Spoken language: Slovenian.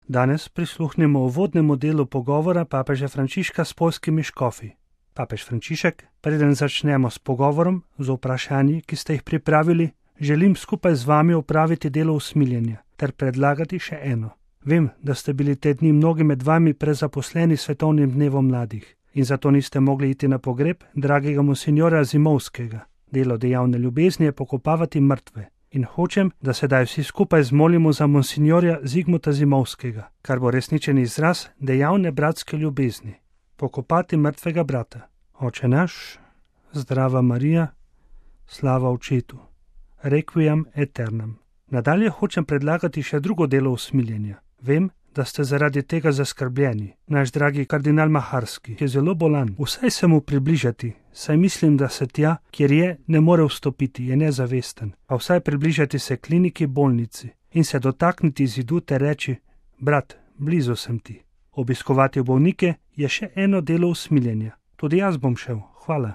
Danes prisluhnemo uvodnemu delu pogovora papeža Frančiška s poljskimi škofi. Papež Frančišek, preden začnemo s pogovorom, z vprašanji, ki ste jih pripravili, želim skupaj z vami opraviti delo usmiljenja ter predlagati še eno. Vem, da ste bili te dni mnogi med vami prezaposleni svetovnim dnevom mladih in zato niste mogli iti na pogreb dragega monsinjora Zimovskega. Delo dejavne ljubezni je pokopavati mrtve. In hočem, da sedaj vsi skupaj zmolimo za monsinjorja Zigmuta Zimovskega, kar bo resničen izraz dejavne bratske ljubezni. Pokopati mrtvega brata. Oče naš, zdrava Marija, slava Očetu, requiem aeternam. Nadalje hočem predlagati še drugo delo usmiljenja. Vem, da ste zaradi tega zaskrbljeni. Naš dragi kardinal Maharski je zelo bolan. Vsaj se mu približati, saj mislim, da se tja, kjer je, ne more vstopiti, je nezavesten. A vsaj približati se kliniki, bolnici in se dotakniti zidu ter reči: brat, blizu sem ti. Obiskovati bolnike je še eno delo usmiljenja. Tudi jaz bom šel, hvala.